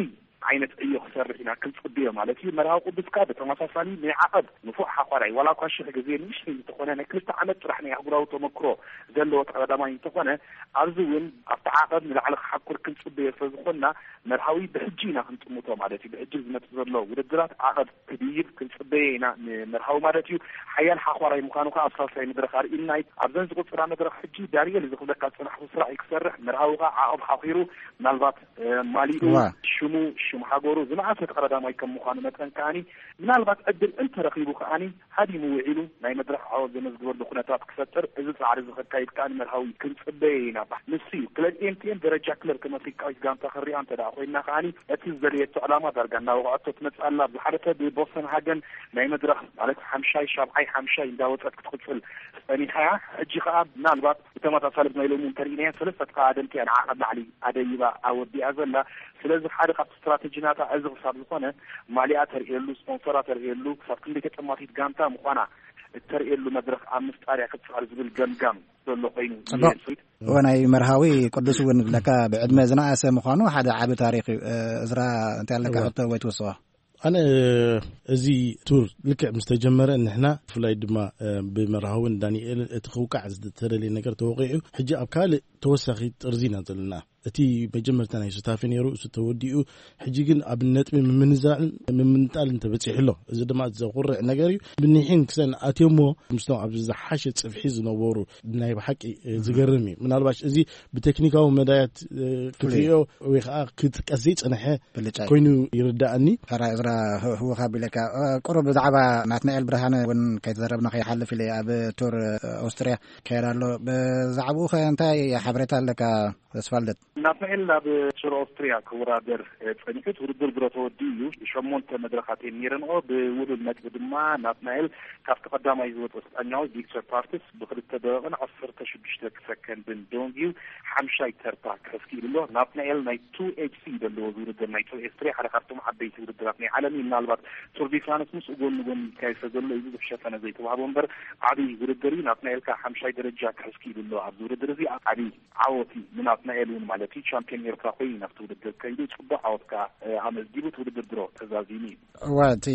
ዓይነት ዕዮ ክሰርሕ ኢና ክንፅብዮ ማለት እዩ። መርሃዊ ቅዱስ ከዓ ብተመሳሳሊ ናይ ዓቐብ ንፉዕ ሓኳራይ ዋላ እኳ ሽሕ ግዜ ንእሽተይ እንተኾነ ናይ ክልተ ዓመት ጥራሕ ናይ ኣህጉራዊ ተመክሮ ዘለዎ ተቐዳዳማይ እንተኾነ ኣብዚ እውን ኣብቲ ዓቐብ ንላዕሊ ክሓኩር ክንፅበዮ ስለዝኾንና መርሃዊ ብሕጂ ኢና ክንጥምቶ ማለት እዩ። ብሕጂ ዝመፅእ ዘሎ ውድድራት ዓቐብ ክድይብ ክንፅበዮ ኢና ንመርሃዊ ማለት እዩ። ሓያል ሓኳራይ ምዃኑ ከዓ ኣብ ሳልሳይ መድረኽ ኣርእዩና እዩ። ኣብዘን ዝቕፅላ መድረኽ ሕጂ ዳንኤል እዚ ክብለካ ዝፀናሕኩ ስራሕ እዩ ክሰርሕ። መርሃዊ ከዓ ዓቐብ ሓኺሩ ምናልባት ማሊኡ ሽሙ ሃገሩ ዝነኣሰ ተቐዳዳማይ ከም ምዃኑ መጠን ከኣኒ ምናልባት ዕድል እንተረኺቡ ከኣኒ ሃዲሙ ውዒሉ ናይ መድረኽ ዓወት ዘመዝግበሉ ኩነታት ክፈጥር እዚ ጻዕሪ እዚ ከካይድ ከኣኒ መርሃዊ ክንጽበየ ኢና። ንሱ እዩ ክለብ ኤምቲኤን ደረጃ ክለብ ከም ኣፍሪቃዊት ጋንታ ክንሪኣ እንተ ደኣ ኮይና ከኣኒ እቲ ዝደለየቶ ዕላማ ዳርጋ እናወቕዐቶ ትመጽእ ኣላ። ብዝሓለፈ ብቦስተን ሃገን ናይ መድረኽ ማለት ሓምሻይ ሻብዓይ ሓምሻይ እንዳወጸት ክትቕጽል ጸኒሓ እያ። ሕጂ ከኣ ምናልባት ብተመሳሳሊ ናይ ሎሚ እንተርኢናያ ሰለስተ ተቐዳደምቲ እያ ንዓ ካብ ላዕሊ ኣደይባ ኣወዲኣ ዘላ። ስለዚ ሓደ ካብቲ ስትራተጂ ናታ እዚ ክሳብ ዝኾነ ማሊኣ ተርእየሉ፣ ስፖንሰራ ተርእየሉ፣ ክሳብ ክንደይ ተጠማቲት ጋንታ ምዃና እተርእየሉ መድረኽ ኣብ ምፍጣር እያ ክትጽዕር ዝብል ገምጋም ዘሎ ኮይኑ ጽቡቕ። እወ፣ ናይ መርሃዊ ቅዱስ እውን ብለካ ብዕድመ ዝነኣሰ ምዃኑ ሓደ ዓቢ ታሪኽ እዩ። እዝራ እንታይ ኣለካ እወ። ሕቶ ወይ ትወስኦ? ኣነ እዚ ቱር ልክዕ ምስ ተጀመረ ንሕና ብፍላይ ድማ ብመርሃውን ዳንኤልን እቲ ክውቃዕ ዝተደልየ ነገር ተወቂዑ ሕጂ ኣብ ካልእ ተወሳኺ ጥርዚ ኢና ዘለና። እቲ መጀመርታ ናይ ሱታፌ ነይሩ፣ እሱ ተወዲኡ። ሕጂ ግን ኣብ ነጥቢ ምምንዛዕን ምምንጣልን ተበጺሑ ኣሎ። እዚ ድማ ዘኹርዕ ነገር እዩ። ብኒሕን ክሰን ኣትዮሞ ምስቶም ኣብ ዝሓሸ ጽፍሒ ዝነበሩ ናይ ብሓቂ ዝገርም እዩ። ምናልባሽ እዚ ብቴክኒካዊ መዳያት ክትሪኦ ወይ ከዓ ክትጥቀስ ዘይጸንሐ ብልጫ እዩ። ኮይኑ ይርዳእኒ። ተራ እዝራ ህወኻ ቢለካ ቁሩብ ብዛዕባ ናትናኤል ብርሃነ እውን ከይተዘረብና ከይሓልፍ ኢለ ኣብ ቱር ኣውስትርያ ከየድ ኣሎ። ብዛዕባኡ ከ እንታይ ሓበሬታ ኣለካ? ተስፋልደት። ናትናኤል ናብ ቱር ኦስትሪያ ክወዳደር ጸኒሑ እቲ ውድድር ድሮ ተወዲኡ እዩ። ሸሞንተ መድረኻት እዮም ነይረንኦ። ብውሉል ነጥቢ ድማ ናትናኤል ካብቲ ቀዳማይ ዝወጸ ስጳኛዊ ቪክተር ፓርትስ ብክልተ ደቂቕን ዓሰርተ ሽዱሽተ ሰከንድን ደንጊዩ ሓምሻይ ተርታ ክሕዝ ክኢሉ ኣሎ። ናትናኤል ናይ ቱ ኤች ሲ ዘለዎ ዝውድድር ናይ ቱር ኦስትሪያ ሓደ ካብቶም ዓበይቲ ውድድራት ናይ ዓለም እዩ። ምናልባት ቱር ዲ ፍራንስ ምስኡ ጎኒ ጎኒ ይካየድ ዘሎ እዩ። ብዙሕ ሸፈነ ዘይተዋህቦ እምበር ዓብዪ ውድድር እዩ። ናትናኤል ከዓ ሓምሻይ ደረጃ ክሕዝ ክኢሉ ኣሎ። ኣብዚ ውድድር እዚ ዓብዪ ዓወት እዩ ንናትናኤል እውን ማለት እዩ። ቻምፒዮን ኤርትራ ኮይኑ ናብቲ ውድድር ከይዱ ጽቡቕ ዓወት ከዓ ኣመዝጊቡ እቲ ውድድር ድሮ ተዛዚሙ እዩ። እወ፣ እቲ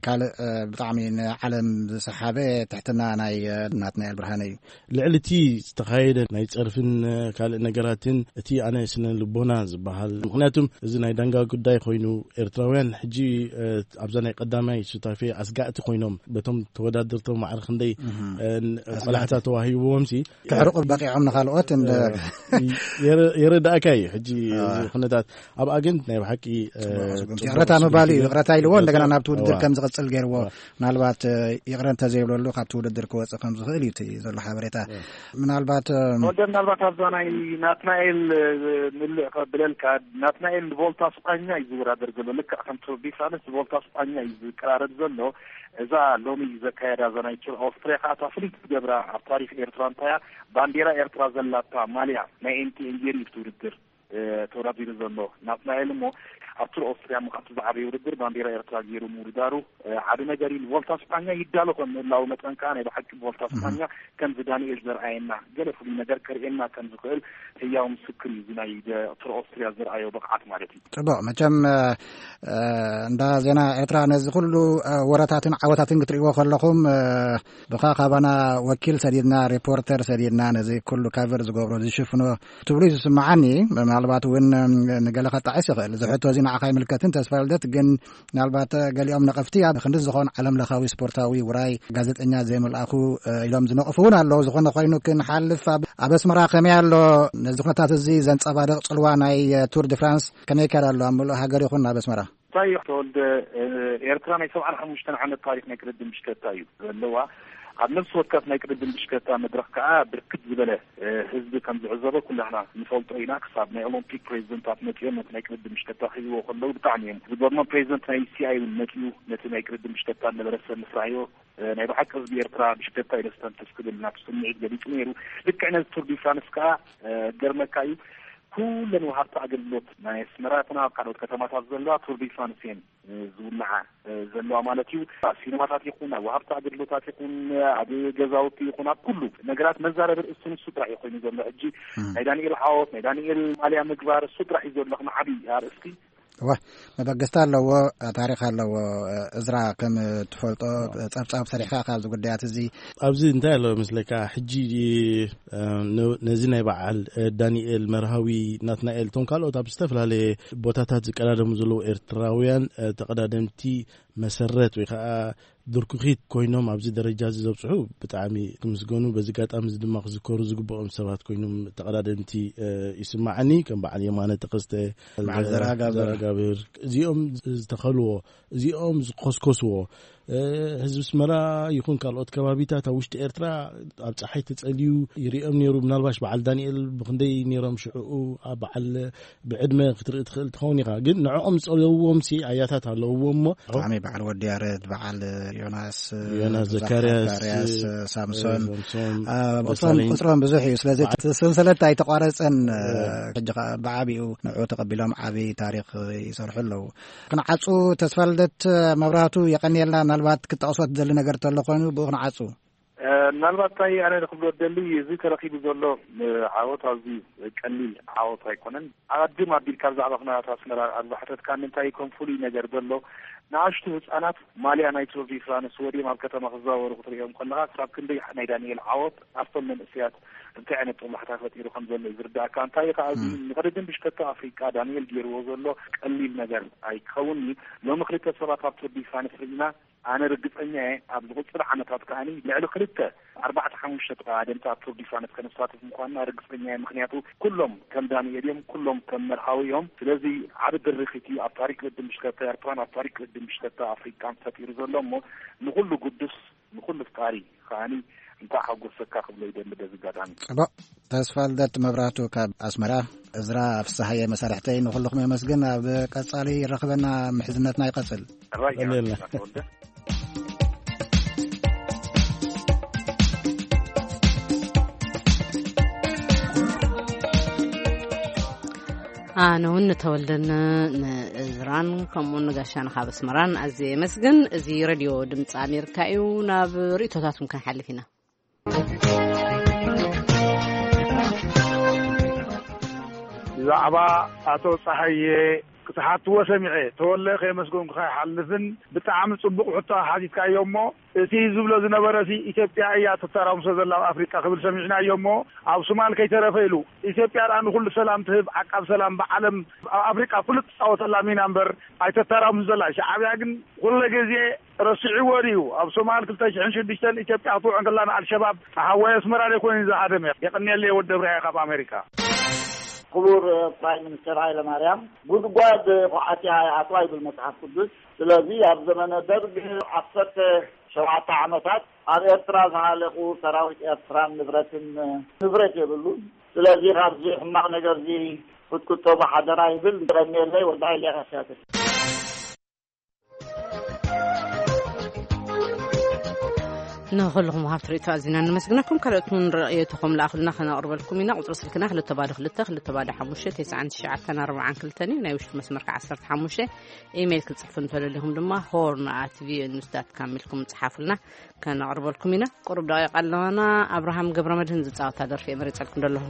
ካልእ ብጣዕሚ ንዓለም ዝሰሓበ ትሕትና ናይ ናትናኤል ብርሃነ እዩ። ልዕሊ እቲ ዝተኻየደ ናይ ጸርፍን ካልእ ነገራትን እቲ ኣነ ስነ ልቦና ዝበሃል ምክንያቱም እዚ ናይ ዳንጋ ጉዳይ ኮይኑ ኤርትራውያን ሕጂ ኣብዛ ናይ ቀዳማይ ሱታፌ ኣስጋእቲ ኮይኖም በቶም ተወዳደርቶም ማዕረ ክንደይ ቆላሕታ ተዋሂብዎም ሲ ክሕርቁ በቂዖም ንኻልኦት እንደ የረዳእካ እዩ። ሕጂ እዚ ኩነታት ኣብኣ ግን ናይ ብሓቂ ይቕረታ ምባል እዩ። ይቕረታ ኢልዎ እንደገና ናብቲ ውድድር ከም ዝቕጽል ገይርዎ ምናልባት ይቕረ እንተዘይብለሉ ካብቲ ውድድር ክወጽእ ከም ዝኽእል እዩ እቲ ዘሎ ሓበሬታ። ምናልባት ወደ ምናልባት ኣብዛ ናይ ናትናኤል ምልእ ከብለልካ ናትናኤል ንቮልታ ስጳኛ እዩ ዝወዳደር ዘሎ። ልክዕ ከም ቱር ዲ ፍራንስ ንቮልታ ስጳኛ እዩ ዝቀራረብ ዘሎ። እዛ ሎሚ ዘካየዳ እዛ ናይ ቱር ኣውስትሪያ ከዓ እታ ፍልይቲ ዝገብራ ኣብ ታሪክ ኤርትራ እንታይ እያ? ባንዴራ ኤርትራ ዘላታ ማልያ ናይ ኤምቲኤን ገይሩ እዩ እቲ ውድድር ተወዳዲሩ ዘሎ ናትናኤል እሞ ኣብ ቱር ኣውስትሪያ ምኻቱ ዝዓበየ ውድድር ባንዴራ ኤርትራ ገይሩ ምውድዳሩ ዓቢ ነገር እዩ። ንቮልታ ስጳኛ ይዳሎ ከም ምህላው መጠን ከዓ ናይ ብሓቂ ቮልታ ስጳኛ ከምዚ ዳንኤል ዘርኣየና ገለ ፍሉይ ነገር ከርእየና ከም ዝኽእል ህያው ምስክር እዩ። እዚ ናይ ቱር ኣውስትሪያ ዘርኣዮ ብቕዓት ማለት እዩ። ጽቡቕ። መቸም እንዳ ዜና ኤርትራ ነዚ ኩሉ ወረታትን ዓወታትን ክትርእይዎ ከለኹም ብኻ ካባና ወኪል ሰዲድና ሪፖርተር ሰዲድና ነዚ ኩሉ ካቨር ዝገብሮ ዝሽፍኖ ትብሉ እዩ ዝስምዓኒ። ምናልባት እውን ንገለ ከጣዕስ ይኽእል። እዚ ሕቶ እዚ ንዓኻ ይምልከትን ተስፋ ልደት ግን ምናልባት ገሊኦም ነቐፍቲ ኣብ ክንዲ ዝኾን ዓለም ለኻዊ ስፖርታዊ ውራይ ጋዜጠኛ ዘይምልኣኹ ኢሎም ዝነቕፉ እውን ኣለዉ። ዝኾነ ኮይኑ ክንሓልፍ ኣብ ኣስመራ ከመይ ኣሎ? ነዚ ኩነታት እዚ ዘንጸባርቕ ጽልዋ ናይ ቱር ዲ ፍራንስ ከመይ ይካየድ ኣሎ ኣብ ምሉእ ሃገር ይኹን ኣብ ኣስመራ? እንታይ እዩ ተወልደ? ኤርትራ ናይ ሰብዓን ሓሙሽተን ዓመት ታሪክ ናይ ቅድድም ብሽከታ እዩ ዘለዋ። ኣብ ነፍሲ ወከፍ ናይ ቅድድም ብሽከታ መድረክ ከዓ ብርክት ዝበለ ህዝቢ ከም ዝዕዘቦ ኩላህና ንፈልጦ ኢና። ክሳብ ናይ ኦሎምፒክ ፕሬዚደንታት መፂኦም ነቲ ናይ ቅድድም ብሽከታ ክህብዎ ከለዉ ብጣዕሚ እዮም ዝገርሞም። ፕሬዚደንት ናይ ሲኣይ እውን መፂኡ ነቲ ናይ ቅድድም ብሽከታ ዝነበረ ሰብ ምስ ረኣዮ ናይ ብሓቂ ህዝቢ ኤርትራ ብሽከታ እዩ ደስተንፍስ ክብል ናብ ስምዒት ገሊፁ ነይሩ። ልክዕ ነዚ ቱር ዲ ፍራንስ ከዓ ገርመካ እዩ ኩለን ወሃብቲ ኣገልግሎት ናይ ኣስመራ ይኹና ኣብ ካልኦት ከተማታት ዘለዋ ቱር ዲ ፍራንስ እየን ዝውልዓ ዘለዋ ማለት እዩ። ኣብ ሲኒማታት ይኹን ኣብ ወሃብቲ ኣገልግሎታት ይኹን ኣብ ገዛውቲ ይኹን ኣብ ኩሉ ነገራት መዛረቢ ርእስቲ ንሱ ጥራሕ እዩ ኮይኑ ዘሎ። ሕጂ ናይ ዳንኤል ዓወት ናይ ዳንኤል ማልያ ምግባር እሱ ጥራሕ እዩ ዘሎ ከም ዓብዪ ኣርእስቲ። እወ፣ መበገስታ ኣለዎ፣ ታሪኽ ኣለዎ። እዝራ ከም ትፈልጦ ጸብጻብ ሰሪሕካ ካብዚ ጉዳያት እዚ ኣብዚ እንታይ ኣሎ መስለካ ሕጂ ነዚ ናይ በዓል ዳንኤል መርሃዊ ናትናኤል እቶም ካልኦት ኣብ ዝተፈላለየ ቦታታት ዝቀዳደሙ ዘለዉ ኤርትራውያን ተቐዳደምቲ መሰረት ወይ ከዓ ድርኩኺት ኮይኖም ኣብዚ ደረጃ እዚ ዘብጽሑ ብጣዕሚ ክምስገኑ፣ በዚ ኣጋጣሚ እዚ ድማ ክዝከሩ ዝግብኦም ሰባት ኮይኖም ተቐዳደምቲ፣ እ፣ ይስማዓኒ። ከም በዓል የማነ ተኸስተ፣ በዓል ዘርኣጋብር። ዘርኣጋብር፣ እዚኦም ዝተኸልዎ፣ እዚኦም ዝኮስኮስዎ፣ እ፣ ህዝቢ ኣስመራ ይኹን ካልኦት ከባቢታት ኣብ ውሽጢ ኤርትራ ኣብ ጸሓይ ተጸልዩ ይሪኦም ነይሩ። ምናልባሽ በዓል ዳንኤል ብክንደይ ነይሮም ሽዕኡ ኣብ በዓል ብዕድመ ክትርኢ ትኽእል ትኸውን ኢኻ። ግን ንዕኦም ዝጸለውዎም ሲ ኣያታት ኣለውዎ እሞ። ብጣዕሚ በዓል ወዲ ያረድ፣ በዓል ዮናስ፣ ዮናስ ብዙሕ ዘካርያስ፣ ዘካርያስ፣ ሳምሶን። ሳምሶን፣ አ፣ ቁጽሮም፣ ደሳለኝ። ቁጽሮም ብዙሕ እዩ። ስለዚ በዓል እቲ ሰንሰለት ኣይተቋረጸን። እ። ሕጂ ኸኣ ብዓቢኡ ንዕኡ ተቐቢሎም ዓቢ ታሪኽ ይሰርሑ ኣለዉ። ክንዓጹ ተስፋ ልደት መብራህቱ የቐንየልና። ምናልባት ክትጠቕሶ ትደሊ ነገር ተሎ ኮይኑ ብኡ ክንዓጹ። እ፣ ምናልባት እንታይ ኣነ ክብሎ ደሊ፣ እዚ ተረኺቡ ዘሎ፣ እ፣ ዓወት ኣዝዩ ቀሊል ዓወት ኣይኮነን። ኣቐድም ኣቢልካ ብዛዕባ ኩነታት ኣስመራ ኣብ ዝሓተትካኒ እንታይ ከም ፍሉይ ነገር ዘሎ፣ ንኣሽቱ ህጻናት ማልያ ናይ ቱር ዲ ፍራንስ ወዲኦም ኣብ ከተማ ክዘዋወሩ ክትሪኦም ከለኻ፣ ክሳብ ክንደይ ናይ ዳንኤል ዓወት ኣብቶም መንእሰያት እንታይ ዓይነት ጥሙሕታ ፈጢሩ ከም ዘሎ እዩ ዝርዳእካ። እንታይ ከኣ፣ እዚ፣ እም። ንቅድድም ብሽክለታ ኣፍሪቃ ዳንኤል ገይርዎ ዘሎ ቀሊል ነገር ኣይክኸውን እዩ። ሎሚ ክልተ ሰባት ኣብ ቱር ዲ ፍራንስ ርኢና፣ ኣነ ርግጸኛ እየ፣ ኣብ ዝቕጽል ዓመታት ከኣኒ ልዕሊ ክልተ፣ ኣርባዕተ፣ ሓሙሽተ ተቐዳደምቲ ኣብ ቱር ዲ ፍራንስ ከነሳትፍ ምዃንና ርግጸኛ እየ። ምኽንያቱ፣ ኩሎም ከም ዳንኤል እዮም፣ ኩሎም ከም መርሃዊ እዮም። ስለዚ፣ ዓቢ ድርኺት እዩ ኣብ ታሪክ ቅድድም ብሽክለታ ኤርትራን ኣብ ታሪክ ቅድድም ብሽክለታ ኣፍሪቃን ፈጢሩ ዘሎ እሞ፣ ንኹሉ ግዱስ፣ ንኹሉ ፍቃሪ ከኣኒ እንኳዕ ሓጎሰካ ክብሎ ይደሊ በዚ ኣጋጣሚ። ጽቡቕ። ተስፋ ልደት መብራህቱ ካብ ኣስመራ። እዝራ ፍስሃየ መሳርሕተይ፣ ንኹልኹም የመስግን። ኣብ ቀጻሊ ይረኽበና፣ ምሕዝነትና ይቐጽል። ራያ ቀኒልና። ተወልደ። ኣነ እውን ንተወልደን ንእዝራን ከምኡውን ንጋሻን ካብ ኣስመራን ኣዝየ የመስግን። እዚ ሬድዮ ድምፂ ኣሜሪካ እዩ። ናብ ርእቶታቱም ክንሓልፍ ኢና። ብዛዕባ ኣቶ ጸሃየ ክትሓትዎ ሰሚዐ፣ ተወለ ከየመስገንኩኻ ይሓልፍን። ብጣዕሚ ጽቡቕ ሕቶ ሓቲትካዮ እሞ፣ እቲ ዝብሎ ዝነበረ ሲ ኢትዮጵያ እያ ተተራምሶ ዘላ ኣብ ኣፍሪቃ ክብል ሰሚዕናዮ እሞ፣ ኣብ ሶማል ከይተረፈ ኢሉ፣ ኢትዮጵያ ደኣ ንኹሉ ሰላም ትህብ ዓቃብ ሰላም ብዓለም ኣብ ኣፍሪቃ ፍሉጥ ትጻወተላ ሚና እምበር ኣይተተራምሶ ዘላ። ሻዕብያ ግን ኩለ ግዜ ረሲዕዎ ድዩ? ኣብ ሶማል ክልተ ሽሕን ሽዱሽተን ኢትዮጵያ ክትውዕል ከላ ንኣልሸባብ ተሃዋይ ኣስመራ ደይ ኮይኑ ዝሃደመ? የቐንየለይ ወዲ እብራሂም ካብ ኣሜሪካ። ክቡር ፕራይም ሚኒስተር ሃይለ ማርያም፣ ጉድጓድ ኳዓቲ ኣይኣትዋ ይብል መጽሓፍ ቅዱስ። ስለዚ ኣብ ዘመነ ደርግ ዓሰርተ ሸውዓተ ዓመታት ኣብ ኤርትራ ዝሃለቑ ሰራዊት ኤርትራን ንብረትን ንብረት የብሉን። ስለዚ ካብዚ ሕማቕ ነገርዚ ክትቁጠቡ ሓደራ ይብል። የቐንየለይ ወዲ ሃይለ ኢኻ ትያትር። ንኹልኹም ወሃብቲ ርእይቶ ኣዚና ነመስግነኩም። ካልኦት እውን ርእይቶኹም ለኣኹልና፣ ከነቕርበልኩም ኢና። ቁጽሪ ስልክና ክልተ ባዶ ክልተ፣ ክልተ ባዶ ሓሙሽተ፣ ተስዓን ትሽዓተን ኣርባዓን ክልተን እዩ። ናይ ውሽጢ መስመር ከኣ ዓሰርተ ሓሙሽተ። ኢሜይል ክትጽሕፉ እንተደሊኹም ድማ ሆርን ኣት ቪኦኤ ኒውስ ዳት ካም ኢልኩም ጽሓፉልና፣ ከነቕርበልኩም ኢና። ቁሩብ ደቂቕ ኣለዋና። ኣብርሃም ገብረ መድህን ዝጻወታ ደርፊ እየ መሪጸልኩም ዘለኹ።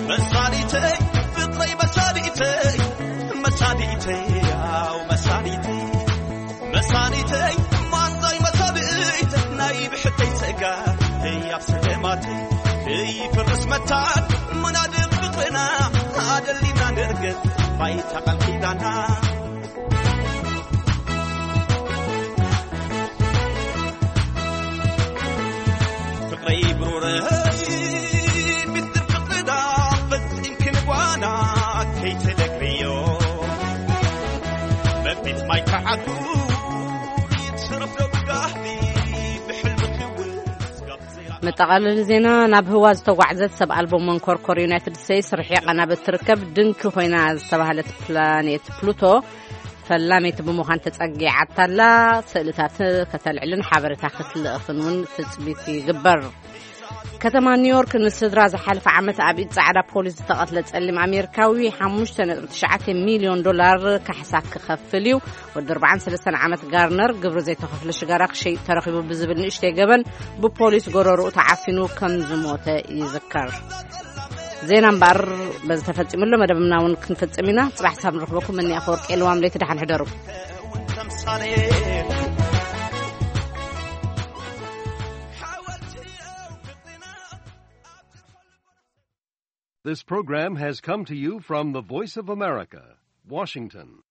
መሳሊተይ ፍቅረይ፣ መሳሊተይ፣ መሳሊተይ፣ ያው መሳሊተይ፣ መሳሊተይ፣ ማንዛይ መሳሊተይ፣ ናይ ብሕተይ ጸጋ፣ ህያብ ስደማተይ፣ ከይፈርስ መታን፣ ምናድም ፍቅርና፣ ኣደሊና ንርገጽ፣ ባይታ ቃል ኪዳና። ፍቕረይ ብሩረይ፣ ሚስጥር ፍቕርና ፈጺምኪ ንጓና ከይትነግርዮ። መቢት ማይ ከዓቱ ይትረፍ ዶ ብጋህዲ ብሕልሚ ክውስ ጋብ ዘይራ- መጠቓለሊ ዜና። ናብ ህዋ ዝተጓዕዘት ሰብ ኣልቦ መንኮርኮር ዩናይትድ ስቴትስ ርሒቓ ናብ እትርከብ ድንኪ ኮይና ዝተባህለት ፕላኔት ፕሉቶ ፈላመይቲ ብምዃን ተጸጊዓታላ። ስእልታት ከተልዕልን ሓበሬታ ክትልእኽን እውን ትጽቢት ይግበር። ከተማ ኒውዮርክ ንስድራ ዝሓለፈ ዓመት ኣብ ኢድ ጻዕዳ ፖሊስ ዝተቐትለ ጸሊም ኣሜሪካዊ ሓሙሽተ ነጥቢ ትሽዓተ ሚልዮን ዶላር ካሕሳ ክኸፍል እዩ። ወዲ ኣርባዓን ሰለስተን ዓመት ጋርነር ግብሪ ዘይተኸፍለ ሽጋራ ክሸይጥ ተረኺቡ ብዝብል ንእሽተይ ገበን ብፖሊስ ጎረርኡ ተዓፊኑ ከም ዝሞተ ይዝከር። ዜና እምበኣር በዚ ተፈጺሙ ኣሎ። መደብና እውን ክንፍጽም ኢና። ጽባሕ ሳብ ንረኽበኩም። እኒ ኣፈወርቂ የልዋም ለይቲ ደሓን ሕደሩ። This program has come to you from the Voice of America, Washington.